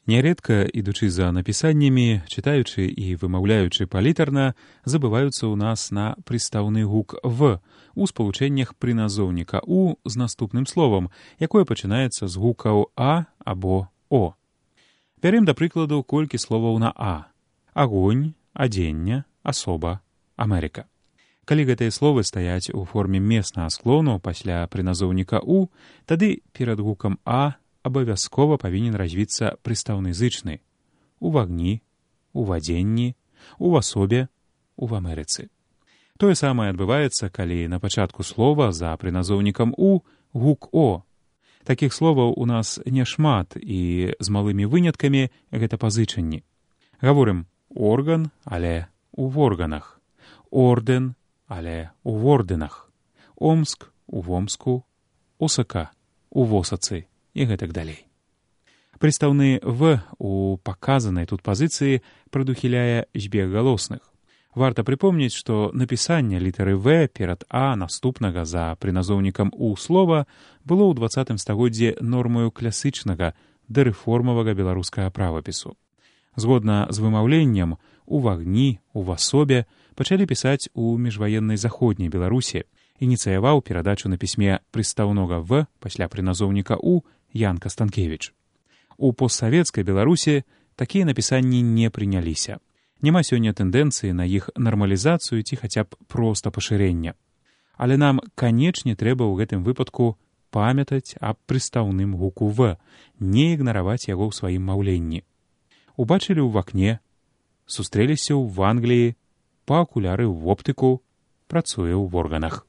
Нярэдка, ідучы за напісаннямі, чытаючы і вымаўляючы палітарна, забываюцца ў нас на прыстаўны гук «в» у спалучэннях прыназоўніка «у» з наступным словам, якое пачынаецца з гукаў «а» або «о». Бярем, да прыкладу, колькі словаў на «а». Агонь, адзення, асоба, Амерыка. Калі гэтыя словы стаяць у форме меснага склону пасля прыназоўніка «у», тады перад гукам «а» абавязкова павінен развіцца прыстаўны зычны у вагні, у вадзенні, у асобе, у Амерыцы. Тое самае адбываецца, калі на пачатку слова за прыназоўнікам «у» гук «о». Такіх словаў у нас няшмат, і з малымі выняткамі гэта пазычанні. Гаворым «орган», але у органах, «орден», але у орденах, «омск» у Омску, «осака» у Восацы і гэтак далей. Прыстаўны «в» у паказанай тут пазіцыі прадухіляе збег галосных. Варта прыпомніць, што напісанне літары «в» перад «а» наступнага за прыназоўнікам «у» слова было ў 20 стагоддзі нормаю класычнага дарэформавага беларускага правапісу. Згодна з вымаўленнем у вагні, у асобе пачалі пісаць у міжваеннай заходняй Беларусі. Ініцыяваў перадачу на пісьме прыстаўнога «в» пасля прыназоўніка «у» Ян Кастанкевіч. У постсавецкай Беларусі такія напісанні не прыняліся. Няма сёння тэндэнцыі на іх нармалізацыю ці хаця б проста пашырення. Але нам, канечне, трэба ў гэтым выпадку памятаць аб прыстаўным гуку «в», не ігнараваць яго ў сваім маўленні. Убачылі ў вакне, сустрэліся ў Англіі, па акуляры ў оптыку, працуе ў органах.